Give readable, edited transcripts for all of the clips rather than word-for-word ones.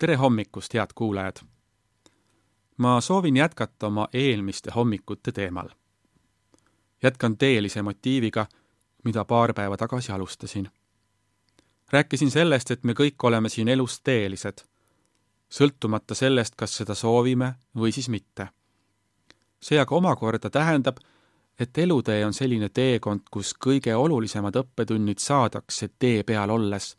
Tere hommikust, head kuulajad! Ma soovin jätkata oma eelmiste hommikute teemal. Jätkan teelise motiiviga, mida paar päeva tagasi alustasin. Rääkisin sellest, et me kõik oleme siin elus teelised, sõltumata sellest, kas seda soovime või siis mitte. See aga omakorda tähendab, et elutee on selline teekond, kus kõige olulisemad õppetunnid saadakse tee peal olles,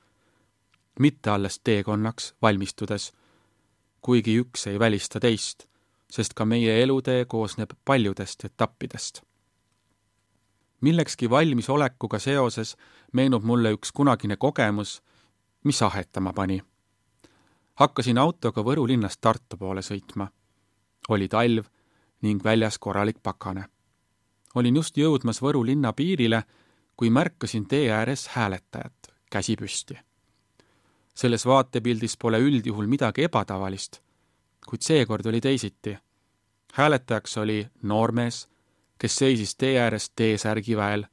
mitte alles teekonnaks valmistudes, kuigi üks ei välista teist, sest ka meie elutee koosneb paljudest etappidest. Millekski valmisolekuga seoses meenub mulle üks kunagine kogemus, mis ahetama pani. Hakkasin autoga Võru linnast Tartu poole sõitma. Oli talv ning väljas korralik pakane. Olin just jõudmas Võru linna piirile, kui märkasin tee ääres hääletajat, käsi püsti. Selles vaatepildis pole üldjuhul midagi ebatavalist, kuid seekord oli teisiti. Hääletajaks oli noormees, kes seisis tee ääres T-särgi väel,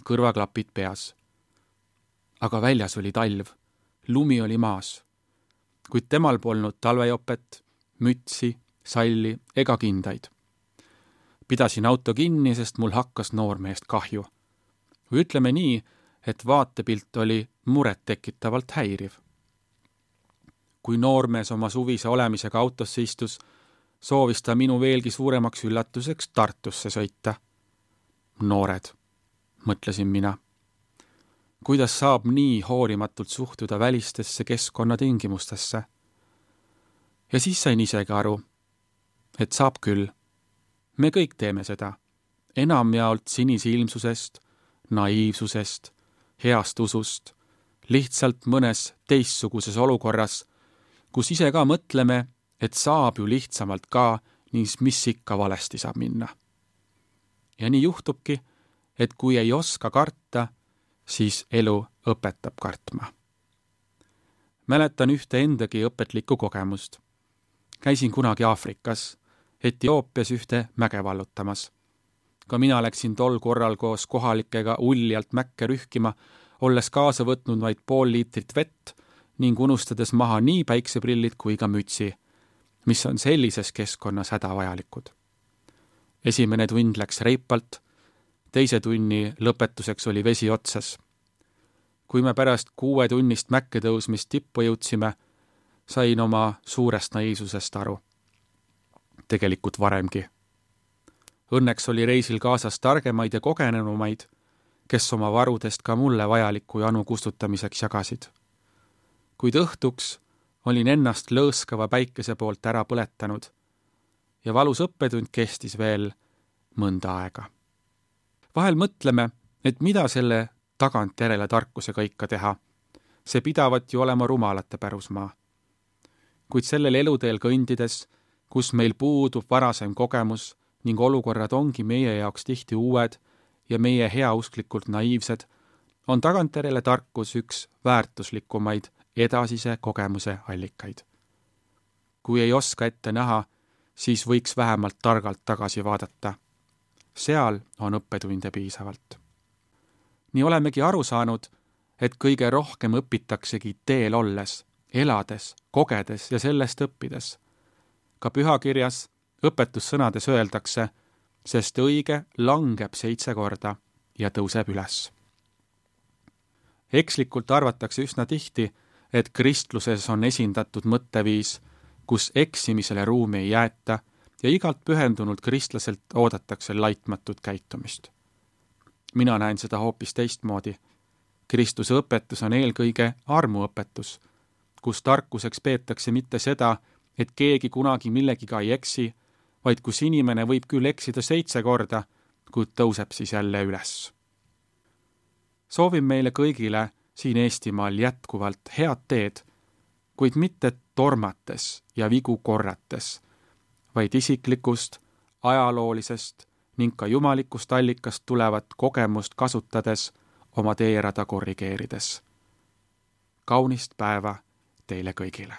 kõrvaklapid peas. Aga väljas oli talv, lumi oli maas, kuid temal polnud talvejopet, mütsi, salli ega kindaid. Pidasin auto kinni, sest mul hakkas noormeest kahju. Või ütleme nii, et vaatepilt oli muret tekitavalt häiriv. Kui noormees oma suvise olemisega autosse istus, soovis ta minu veelgi suuremaks üllatuseks Tartusse sõita. Noored, mõtlesin mina. Kuidas saab nii hoolimatult suhtuda välistesse keskkonnatingimustesse? Ja siis sain isegi aru, et saab küll. Me kõik teeme seda, enamjaolt sinisilmsusest, naiivsusest, heast usust, lihtsalt mõnes teistsuguses olukorras, kus ise ka mõtleme, et saab ju lihtsamalt ka, ning mis ikka valesti saab minna. Ja nii juhtubki, et kui ei oska karta, siis elu õpetab kartma. Mäletan ühte endagi õpetlikku kogemust. Käisin kunagi Aafrikas, Etioopias ühte mäge vallutamas. Ka mina läksin tol korral koos kohalikega uljalt mäkke rühkima, olles kaasa võtnud vaid 0,5 liitrit vett ning unustades maha nii päikseprillid kui ka mütsi, mis on sellises keskkonnas hädavajalikud. Esimene tund läks reipalt, teise tunni lõpetuseks oli vesi otsas. Kui me pärast 6 tunnist mäkke tõusmist tippu jõudsime, sain oma suurest naiivsusest aru. Tegelikult varemgi. Õnneks oli reisil kaasas targemaid ja kogenenumaid, kes oma varudest ka mulle vajaliku janu kustutamiseks jagasid. Kuid õhtuks olin ennast lõõskava päikese poolt ära põletanud ja valus õppetund kestis veel mõnda aega. Vahel mõtleme, et mida selle tagantjärele tarkusega ikka teha. See pidavat ju olema rumalate pärusmaa. Kuid sellel eluteel kõndides, kus meil puudub varasem kogemus ning olukorrad ongi meie jaoks tihti uued ja meie heausklikult naiivsed, on tagantjärele tarkus üks väärtuslikumaid edasise kogemuse allikaid. Kui ei oska ette näha, siis võiks vähemalt targalt tagasi vaadata. Seal on õppetunde piisavalt. Nii olemegi aru saanud, et kõige rohkem õpitaksegi teel olles, elades, kogedes ja sellest õppides. Ka pühakirjas õpetussõnades öeldakse, sest õige langeb 7 korda ja tõuseb üles. Ekslikult arvatakse üsna tihti, et kristluses on esindatud mõtteviis, kus eksimisele ruumi ei jäeta ja igalt pühendunult kristlaselt oodatakse laitmatut käitumist. Mina näen seda hoopis teistmoodi. Kristuse õpetus on eelkõige armuõpetus, kus tarkuseks peetakse mitte seda, et keegi kunagi millegiga ei eksi, vaid kus inimene võib küll eksida 7 korda, kuid tõuseb siis jälle üles. Soovin meile kõigile siin Eestimaal jätkuvalt head teed, kuid mitte tormates ja vigu korrates, vaid isiklikust, ajaloolisest ning ka jumalikust allikast tulevat kogemust kasutades oma teerada korrigeerides. Kaunist päeva teile kõigile!